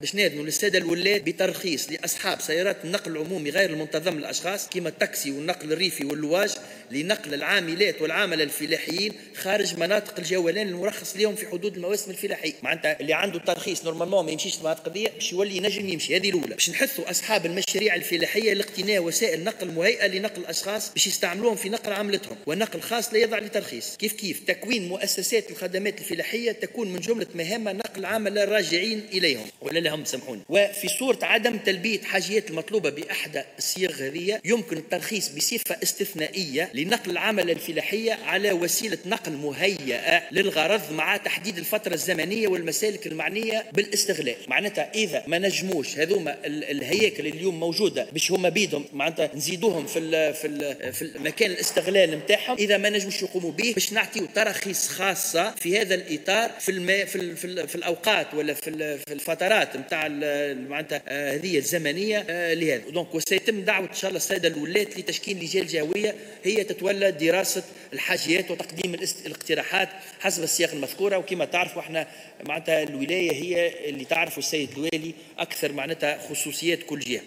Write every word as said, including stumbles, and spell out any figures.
باش ناذنوا للسادة الولاة بترخيص لاصحاب سيارات النقل العمومي غير المنتظم للاشخاص كما التاكسي والنقل الريفي واللواج لنقل العاملات والعامله الفلاحيين خارج مناطق الجولان المرخص لهم في حدود المواسم الفلاحيه. معناتها اللي عنده ترخيص normalement ما يمشيش المناطق دي باش يولي ينجم يمشي. هذه الاولى. باش نحثوا اصحاب المشاريع الفلاحية لاقتناء وسائل نقل مهيئة لنقل الاشخاص باش يستعملوهم في نقل عملتهم، ونقل خاص لا يضع لترخيص. كيف كيف تكوين مؤسسات الخدمات الفلاحية تكون من جملة مهام نقل عمل الراجعين اليهم ولا لهم، سامحوني. وفي صوره عدم تلبية حاجيات المطلوبة باحدى الصيغ هذه يمكن الترخيص بصفة استثنائية لنقل العمل الفلاحية على وسيلة نقل مهيئة للغرض مع تحديد الفترة الزمنية والمسالك المعنية بالاستغلال. معناتها اذا ما نجموش هذوما الهياكل اليوم موجودة باش هما بيدهم معناتها نزيدوهم في ال في ال في مكان الاستغلال نتاعهم، اذا ما نجموش يقوموا به باش نعطيو تراخيص خاصة في هذا الاطار في الما في ال في, ال في الاوقات ولا في, في الفترات نتاع معناتها هذه الزمنية لهذا. donc وسيتم دعوه ان شاء الله السادة الولاة لتشكيل لجان جهويه هي تتولى دراسة الحاجيات وتقديم الاقتراحات حسب السياق المذكورة. وكما تعرفوا احنا معناتها الولاية هي اللي تعرفوا السيد الوالي اكثر معناتها خصوصيات كل جهة.